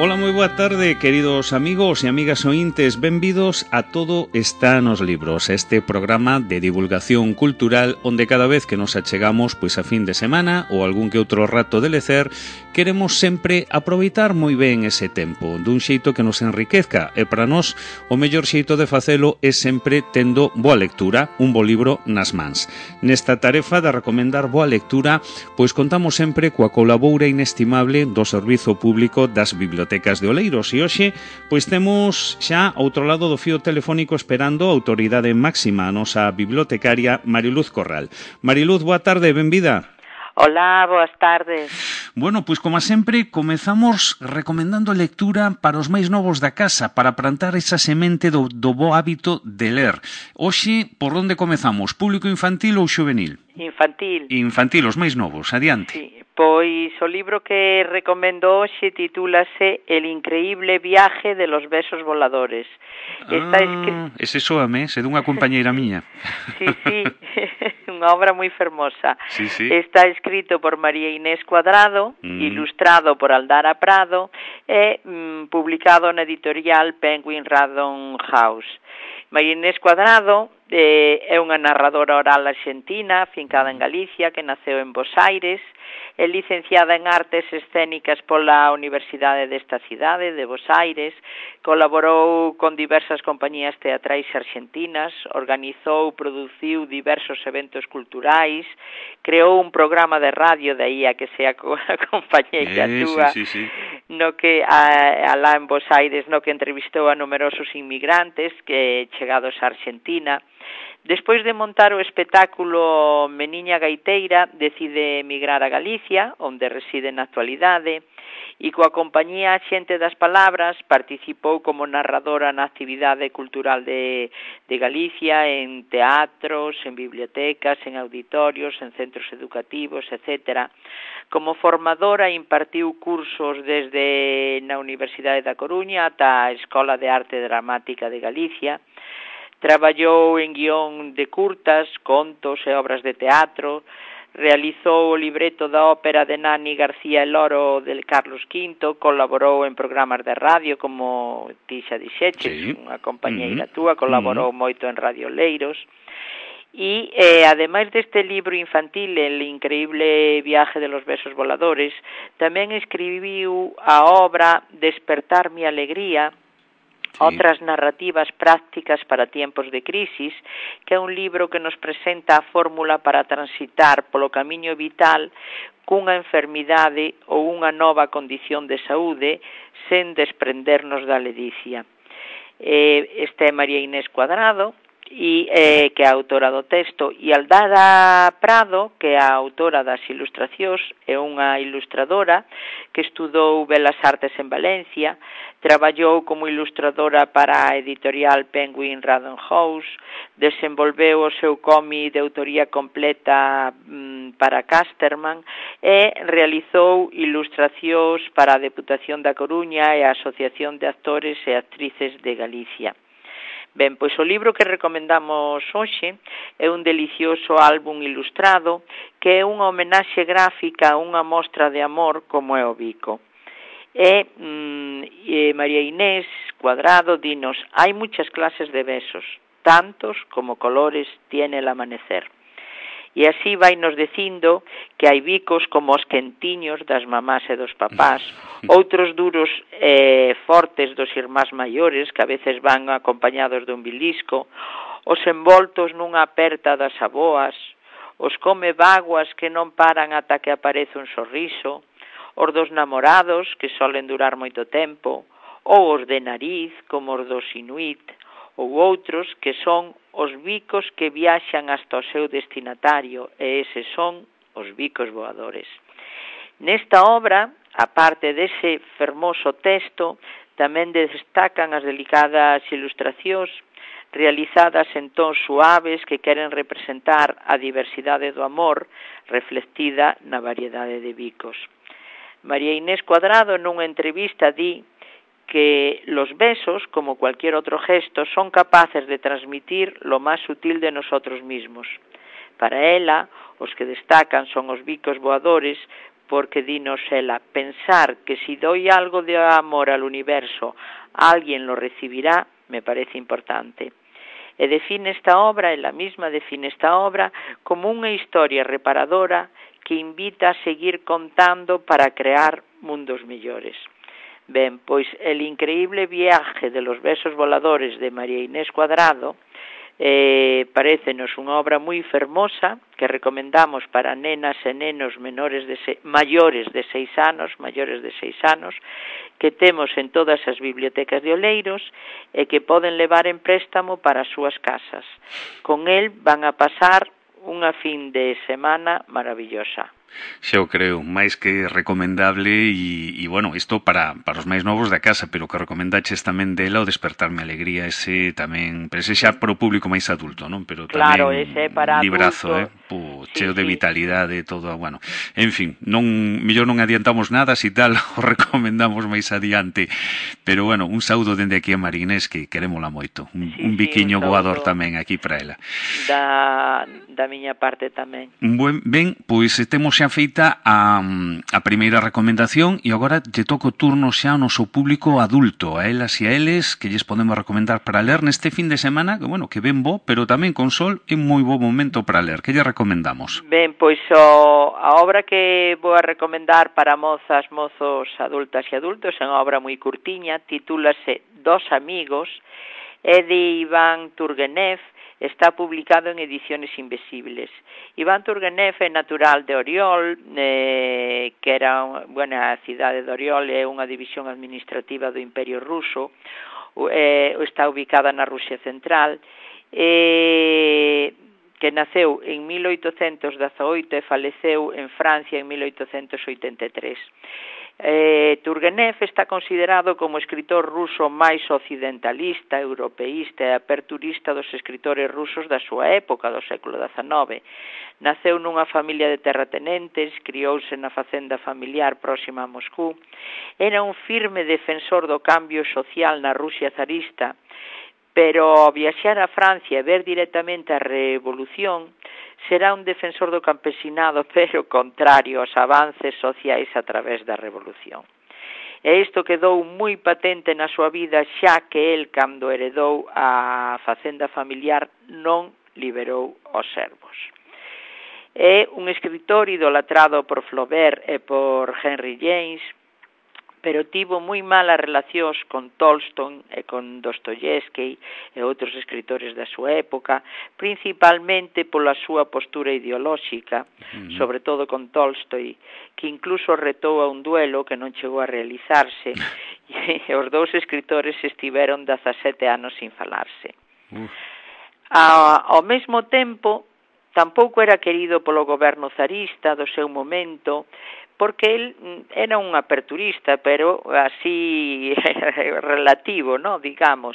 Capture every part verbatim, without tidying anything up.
Ola, moi boa tarde, queridos amigos e amigas ointes. Benvidos a Todo está nos libros, este programa de divulgación cultural onde cada vez que nos achegamos pois a fin de semana ou algún que outro rato de lecer, queremos sempre aproveitar moi ben ese tempo, dun xeito que nos enriquezca, e para nós o mellor xeito de facelo é sempre tendo boa lectura, un bo libro nas mans. Nesta tarefa de recomendar boa lectura, pois contamos sempre coa colaboura inestimable do Servizo Público das Bibliotecas de Oleiros, e hoxe pois temos xa ao outro lado do fío telefónico esperando a autoridade máxima, a nosa bibliotecaria Mariluz Corral. Mariluz, boa tarde, benvida. Hola, boas tardes. Bueno, pois como sempre, comezamos recomendando lectura para os máis novos da casa, para plantar esa semente do, do bo hábito de ler. Hoxe, por onde comezamos? Público infantil ou xuvenil? Infantil. Infantil, os máis novos, adiante. Sí, pois o libro que recomendo hoxe titúlase El increíble viaje de los besos voladores. Está ah, escri... ese soame, é dunha compañeira miña. Sí, sí, unha obra moi fermosa. Sí, sí. Está escrito por María Inés Cuadrado, mm. ilustrado por Aldara Prado e mm, publicado na editorial Penguin Random House. María Inés Cuadrado eh, é unha narradora oral argentina, fincada en Galicia, que naceu en Bos Aires, é licenciada en Artes Escénicas pola Universidade desta cidade, de Bos Aires, colaborou con diversas compañías teatrais argentinas, organizou, produciu diversos eventos culturais, creou un programa de radio, de aí a que sea a compañeira eh, túa, sí, sí, sí. no que a, alá en Bos Aires, no que entrevistou a numerosos inmigrantes que chegados a Argentina. Despois de montar o espectáculo Meniña Gaiteira, decide emigrar a Galicia, onde reside na actualidade, e coa compañía Xente das Palabras participou como narradora na actividade cultural de, de Galicia, en teatros, en bibliotecas, en auditorios, en centros educativos, etcétera. Como formadora impartiu cursos desde na Universidade da Coruña ata a Escola de Arte Dramática de Galicia. Traballou en guión de curtas, contos e obras de teatro, realizou o libreto da ópera de Nani García El Oro del Carlos quinto, colaborou en programas de radio como ti xa dixeches, sí. Unha compañeira uh-huh. túa, colaborou uh-huh. moito en Radio Leiros. E, eh, ademais deste libro infantil, El increíble viaje de los besos voladores, tamén escribiu a obra Despertar mi alegría, sí. Outras narrativas prácticas para tiempos de crisis, que é un libro que nos presenta a fórmula para transitar polo camiño vital cunha enfermidade ou unha nova condición de saúde sen desprendernos da ledicia. Eh, esta é María Inés Cuadrado, e eh, que é a autora do texto, e Aldara Prado, que é a autora das ilustracións, é unha ilustradora que estudou Belas Artes en Valencia, traballou como ilustradora para a editorial Penguin Random House, desenvolveu o seu cómic de autoría completa mm, para Casterman e realizou ilustracións para a Deputación da Coruña e a Asociación de Actores e Actrices de Galicia. Ben, pois o libro que recomendamos hoxe é un delicioso álbum ilustrado que é unha homenaxe gráfica a unha mostra de amor como é o bico. E, mm, e María Inés Cuadrado dinos, hai muchas clases de besos, tantos como colores tiene el amanecer. E así vai nos dicindo que hai bicos como os quentiños das mamás e dos papás, outros duros e fortes dos irmás maiores, que a veces van acompañados dun bilisco, os envoltos nunha aperta das aboas, os come vaguas que non paran ata que aparece un sorriso, os dos namorados que solen durar moito tempo, ou os de nariz como os dos inuit, ou outros que son os bicos que viaxan hasta o seu destinatario, e eses son os bicos voadores. Nesta obra, a parte dese fermoso texto, tamén destacan as delicadas ilustracións realizadas en tons suaves que queren representar a diversidade do amor reflectida na variedade de bicos. María Inés Cuadrado nunha entrevista di que los besos, como cualquier otro gesto, son capaces de transmitir lo más sutil de nosotros mismos. Para ela, os que destacan son os bicos voadores porque dinos ela, pensar que si doy algo de amor al universo, alguien lo recibirá, me parece importante. E define esta obra, ela misma define esta obra como unha historia reparadora que invita a seguir contando para crear mundos mellores. Ben, pois el increíble viaje de los besos voladores de María Inés Cuadrado eh, parécenos unha obra moi fermosa que recomendamos para nenas e nenos menores de se, maiores de seis anos, maiores de seis anos, que temos en todas as bibliotecas de Oleiros e que poden levar en préstamo para as súas casas. Con el van a pasar unha fin de semana maravillosa. Xa o creo, máis que recomendable e, e bueno, isto para, para os máis novos da casa, pero que recomendaches tamén dela o Despertarme Alegría, ese tamén, pero ese xa para o público máis adulto, non? Pero claro, tamén ese para librazo, adulto, eh? Pú, sí, cheo de sí. vitalidade, todo, bueno, en fin, non, mellor non adiantamos nada, si tal, o recomendamos máis adiante, pero bueno, un saúdo dende aquí a Marinés, que querémola moito, un, sí, un biquiño sí, un voador tamén aquí para ela. Da, da miña parte tamén. Buen, ben, pois temos xa feita a, a primeira recomendación e agora lle toca o turno xa ao noso público adulto, a elas e a eles, que lles podemos recomendar para ler neste fin de semana, que bueno, que ben bo, pero tamén con sol é moi bo momento para ler. Que lle recomendamos? Ben, pois o, a obra que vou a recomendar para mozas, mozos, adultas e adultos é unha obra moi curtiña, titúlase Dos amigos, é de Iván Turgenev, está publicado en Ediciones Invisibles. Iván Turgenev é natural de Oriol, eh, que era, bueno, a cidade de Oriol é unha división administrativa do Imperio Ruso, eh, está ubicada na Rusia Central, eh, que naceu en mil oitocentos dezaoito e faleceu en Francia en mil oitocentos oitenta e tres. Eh, Turgenev está considerado como o escritor ruso máis occidentalista, europeísta e aperturista dos escritores rusos da súa época, do século dezanove. Naceu nunha familia de terratenentes, criouse na facenda familiar próxima a Moscú. Era un firme defensor do cambio social na Rusia zarista, pero ao viaxar a Francia e ver directamente a revolución, será un defensor do campesinado, pero contrario aos avances sociais a través da revolución. E isto quedou moi patente na súa vida, xa que el, cando heredou a facenda familiar, non liberou os servos. É un escritor idolatrado por Flaubert e por Henry James, pero tivo moi malas relacións con Tolstoy e con Dostoyevsky e outros escritores da súa época, principalmente pola súa postura ideolóxica, uh-huh. sobre todo con Tolstoy, que incluso retou a un duelo que non chegou a realizarse, e os dous escritores estiveron dezasete anos sin falarse. Uh. A, ao mesmo tempo, tampouco era querido polo goberno zarista do seu momento, porque el era un aperturista, pero así relativo, ¿no? Digamos.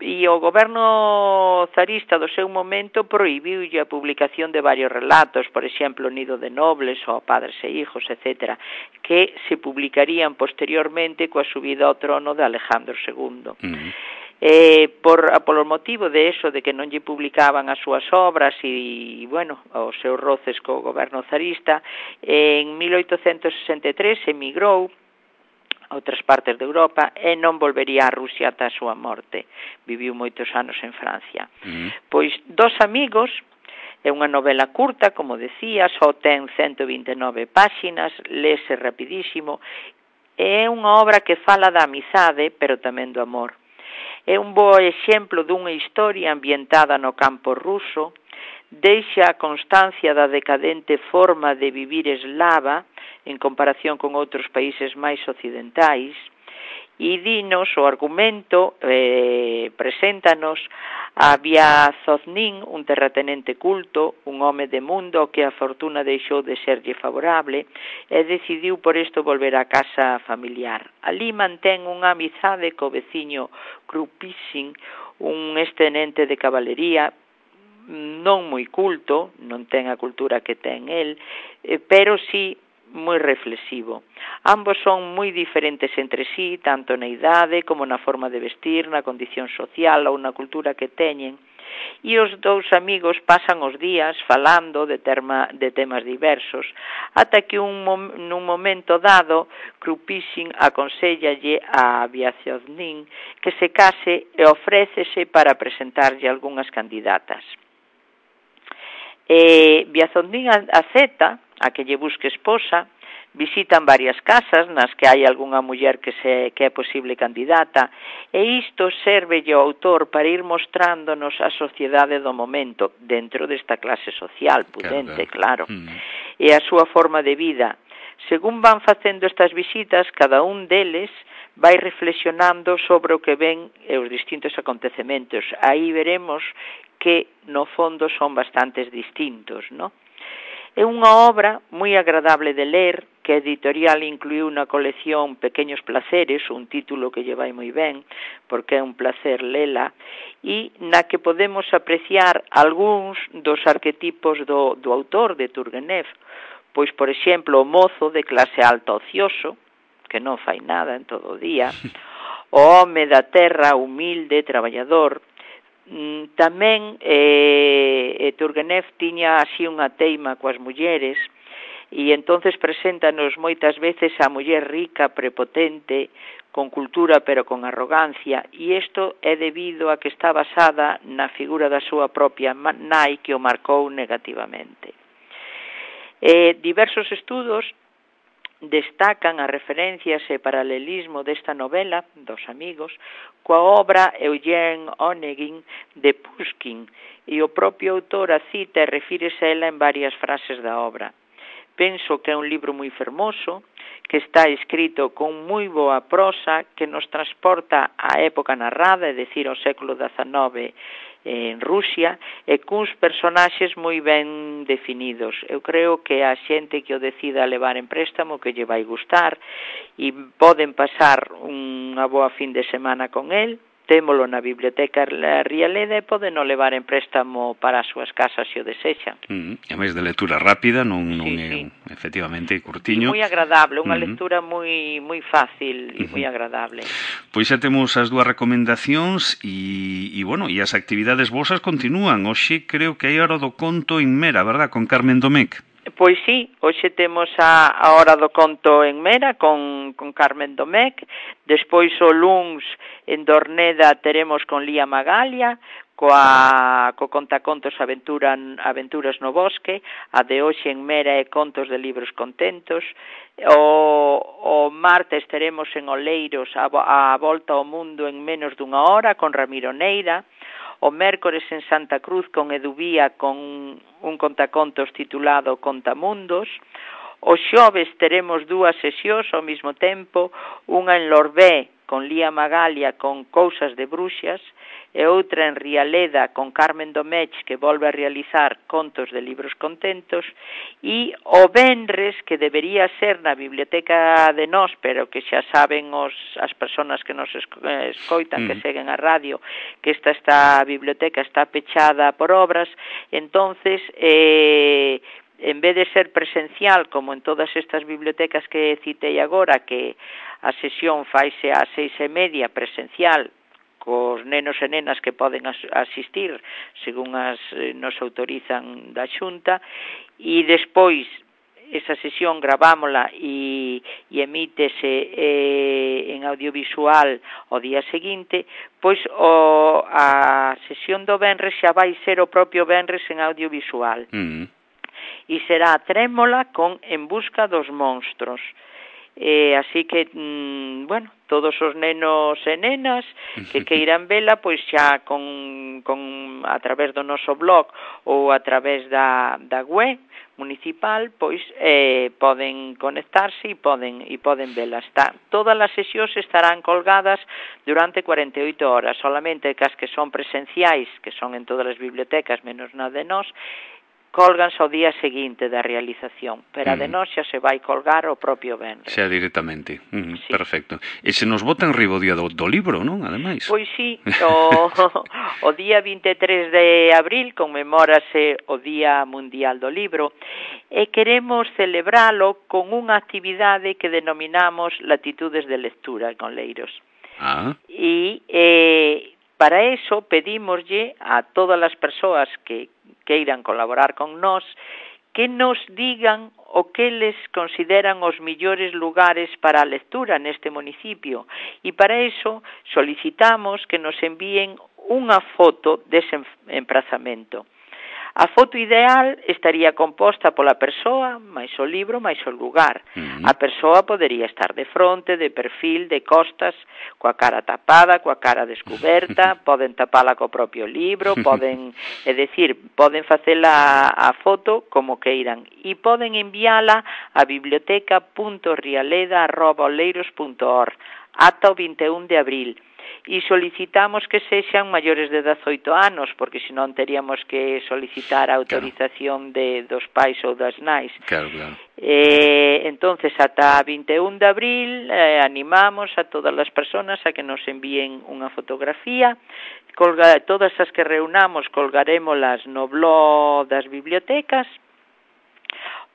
E o goberno zarista do seu momento prohibiulle a publicación de varios relatos, por exemplo, Nido de Nobles ou Padres e Hijos, etcétera, que se publicarían posteriormente coa subida ao trono de Alejandro segundo. Uh-huh. Eh, por, por o motivo de eso, de que non lle publicaban as súas obras e, bueno, os seus roces co goberno zarista, en mil oitocentos sesenta e tres emigrou a outras partes de Europa e non volvería a Rusia ata a súa morte. Viviu moitos anos en Francia. Uh-huh. Pois Dos amigos é unha novela curta, como decía, só ten ciento vinte e nove páxinas, lese rapidísimo, é unha obra que fala da amizade, pero tamén do amor. É un bo exemplo dunha historia ambientada no campo ruso, deixa a constancia da decadente forma de vivir eslava en comparación con outros países máis occidentais, e dinos o argumento, eh, preséntanos a Vyazovnin, un terratenente culto, un home de mundo que a fortuna deixou de serlle favorable e decidiu por isto volver á casa familiar. Ali mantén unha amizade co veciño Krupichin, un extenente de cabalería, non moi culto, non ten a cultura que ten el, eh, pero sí moi reflexivo. Ambos son moi diferentes entre sí, tanto na idade como na forma de vestir, na condición social ou na cultura que teñen, e os dous amigos pasan os días falando de, terma, de temas diversos, ata que un, nun momento dado Krupishkin aconsellalle a Vyazovnin que se case e ofrécese para presentarlle algunhas candidatas. Eh, Vyazovnin acepta a que lle busque esposa, visitan varias casas nas que hai algunha muller que, se, que é posible candidata, e isto serve ao autor para ir mostrándonos a sociedade do momento, dentro desta clase social pudente, claro, mm. e a súa forma de vida. Según van facendo estas visitas, cada un deles vai reflexionando sobre o que ven e os distintos acontecementos. Aí veremos que, no fondo, son bastantes distintos, non? É unha obra moi agradable de ler, que a editorial incluiu na colección Pequeños Placeres, un título que lle vai moi ben, porque é un placer lela, e na que podemos apreciar algúns dos arquetipos do, do autor de Turgenev, pois, por exemplo, o mozo de clase alta ocioso, que non fai nada en todo o día, o home da terra humilde, traballador. Tamén eh, Turgenev tiña así unha teima coas mulleres e entonces preséntanos moitas veces a muller rica, prepotente, con cultura pero con arrogancia, e isto é debido a que está basada na figura da súa propia nai que o marcou negativamente. Eh, diversos estudos destacan as referencias e paralelismo desta novela, dos amigos, coa obra Eugen Onegin de Pushkin, e o propio autor a cita e refírese a ela en varias frases da obra. Penso que é un libro moi fermoso, que está escrito con moi boa prosa, que nos transporta á época narrada, é dicir, ao século dezenove, en Rusia, e cuns personaxes moi ben definidos. Eu creo que a xente que o decida levar en préstamo que lle vai gustar, e poden pasar unha boa fin de semana con el, témolo na Biblioteca Rialeda e poden o levar en préstamo para as súas casas se o desexan. Mm, e máis de lectura rápida, non, non sí, é sí. efectivamente curtiño. E moi agradable, unha uh-huh. lectura moi moi fácil e uh-huh. moi agradable. Pois xa temos as dúas recomendacións e, e bueno, e as actividades vosas continúan. Hoxe creo que hai hora do conto en Mera, verdad, con Carmen Domecq. Pois sí, hoxe temos a, a hora do conto en Mera con, con Carmen Domecq, despois o luns en Dorneda teremos con Lía Magalia, coa, co contacontos Aventura, Aventuras no Bosque, a de hoxe en Mera é Contos de Libros Contentos, o, o martes teremos en Oleiros a, a Volta ao Mundo en menos dunha hora con Ramiro Neira, o mércores en Santa Cruz con Eduvía con un contacontos titulado Contamundos. O xoves teremos dúas sesións ao mesmo tempo, unha en Lorbé con Lía Magalia con Cousas de Bruxas e outra en Rialeda con Carmen Domecq que volve a realizar Contos de Libros Contentos, e o venres que debería ser na Biblioteca de Nós, pero que xa saben os, as persoas que nos escoitan, mm. que seguen a radio, que esta, esta biblioteca está pechada por obras, entonces eh, en vez de ser presencial como en todas estas bibliotecas que citei agora, que a sesión faise ás seis e media presencial cos nenos e nenas que poden asistir según as nos autorizan da Xunta, e despois esa sesión gravámola e, e emítese eh, en audiovisual o día seguinte, pois o, a sesión do venres xa vai ser o propio venres en audiovisual. Mm. E será Trémola con En busca dos monstros. Eh, así que, mm, bueno, todos os nenos e nenas que queiran vela, pois xa con, con a través do noso blog ou a través da, da web municipal, pois eh, poden conectarse e poden e poden vela. Está, todas as sesións estarán colgadas durante cuarenta e oito horas, solamente que as que son presenciais, que son en todas as bibliotecas menos na de nós, colganse ao día seguinte da realización, pero a de nós xa se vai colgar o propio venres. Xa directamente, uh, sí. Perfecto. E se nos botan riba o día do, do libro, non? Ademais. Pois sí, o, o día vinte e tres de abril conmemórase o Día Mundial do Libro e queremos celebralo con unha actividade que denominamos Latitudes de Lectura con Leiros. Ah. E eh, Para eso pedímoslle a todas as persoas que queiran colaborar con nós que nos digan o que les consideran os millores lugares para a lectura neste municipio. E para eso solicitamos que nos envíen unha foto dese emprazamento. A foto ideal estaría composta pola persoa, máis o libro, máis o lugar. Uh-huh. A persoa podería estar de fronte, de perfil, de costas, coa cara tapada, coa cara descoberta, poden tapala co propio libro, poden, é dicir, poden facela a foto como queiran e poden enviala a biblioteca punto rialeda arroba oleiros punto org ata o vinte e un de abril. E solicitamos que sexan maiores de dezoito anos, porque senón teríamos que solicitar a autorización claro. de, dos pais ou das nais. Claro, claro. Eh, entonces, ata vinte e un de abril, eh, animamos a todas as persoas a que nos envíen unha fotografía. Colga, todas as que reunamos colgarémolas no blog das bibliotecas,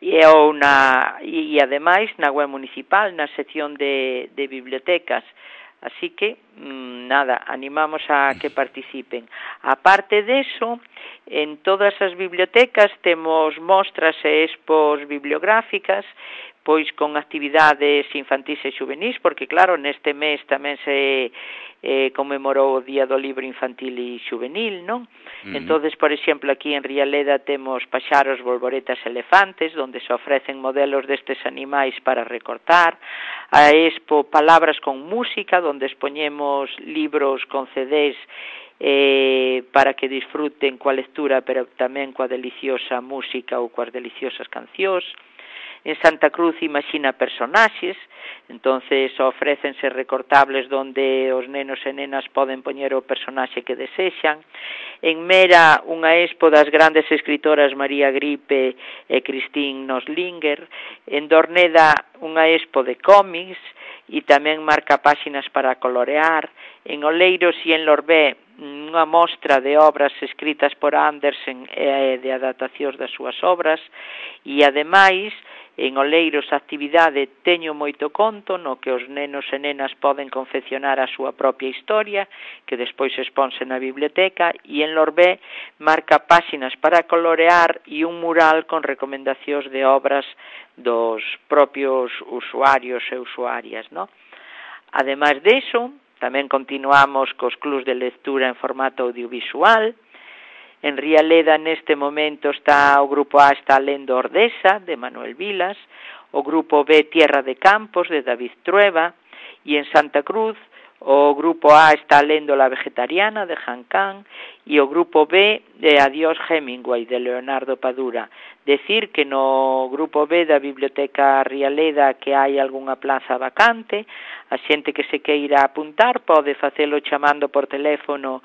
e, ou na, e, e ademais na web municipal, na sección de, de bibliotecas. Así que, nada, animamos a que participen. Aparte deso, en todas as bibliotecas temos mostras e expos bibliográficas, pois con actividades infantís e xuvenís, porque claro, neste mes tamén se eh, conmemorou o Día do Libro Infantil e Xuvenil, non? Uh-huh. Entonces, por exemplo, aquí en Rialeda temos paxaros, bolboretas, elefantes, donde se ofrecen modelos destes animais para recortar, a expo Palabras con Música, donde expoñemos libros con C Ds eh, para que disfruten coa lectura, pero tamén coa deliciosa música ou coas deliciosas cancións. En Santa Cruz Imagina Personaxes, entonces ofrécense recortables donde os nenos e nenas poden poñer o personaxe que desexan. En Mera, unha expo das grandes escritoras María Gripe e Christine Noslinger. En Dorneda, unha expo de cómics e tamén marca páxinas para colorear. En Oleiros e en Lorbé, unha mostra de obras escritas por Andersen e de adaptacións das súas obras. E ademais, en Oleiros a actividade Teño moito conto, no que os nenos e nenas poden confeccionar a súa propia historia, que despois exponse na biblioteca, e en Lorbé marca páxinas para colorear e un mural con recomendacións de obras dos propios usuarios e usuarias, ¿no? Ademais deso, tamén continuamos cos clubs de lectura en formato audiovisual. En Rialeda neste momento está o grupo A está lendo Ordesa, de Manuel Vilas, o grupo B Tierra de Campos, de David Trueba, e en Santa Cruz o grupo A está lendo La Vegetariana, de Jan Can, e o grupo B de Adiós Hemingway, de Leonardo Padura. Decir que no grupo B da Biblioteca Rialeda que hai algunha plaza vacante, a xente que se queira apuntar pode facelo chamando por teléfono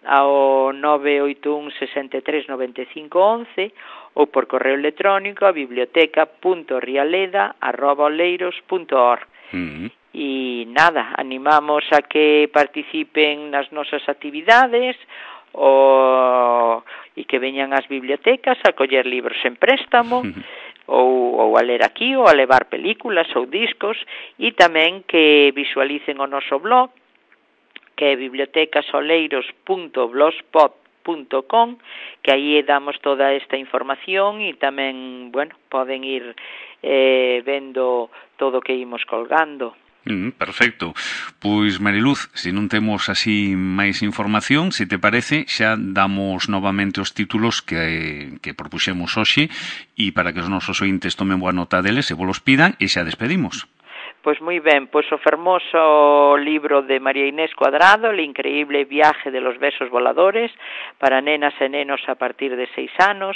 ao nove oito un, seis tres, nove cinco, once ou por correo electrónico a biblioteca punto rialeda arroba oleiros punto org. Uh-huh. E nada, animamos a que participen nas nosas actividades o, e que veñan ás bibliotecas a coller libros en préstamo uh-huh. ou, ou a ler aquí ou a levar películas ou discos, e tamén que visualicen o noso blog, que é bibliotecasoleiros punto blogspot punto com, que aí damos toda esta información e tamén, bueno, poden ir eh, vendo todo o que imos colgando. Mm, perfecto. Pois, Mariluz, se non temos así máis información, se te parece, xa damos novamente os títulos que, que propuxemos hoxe e para que os nosos ointes tomen boa nota deles e vos pidan e xa despedimos. Pois moi ben, pois o fermoso libro de María Inés Cuadrado, El increíble viaje de los besos voladores, para nenas e nenos a partir de seis anos,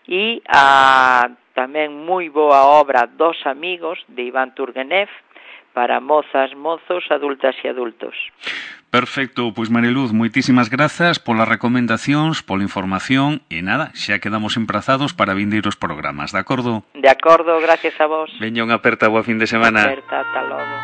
e a tamén moi boa obra Dos amigos, de Iván Turgenev, para mozas, mozos, adultas e adultos. Perfecto, pois Mariluz, moitísimas grazas polas recomendacións, pola información e nada, xa quedamos emprazados para vindeiros programas, de acordo? De acordo, gracias a vos. Veña unha aperta, boa fin de semana. Aperta, ata logo.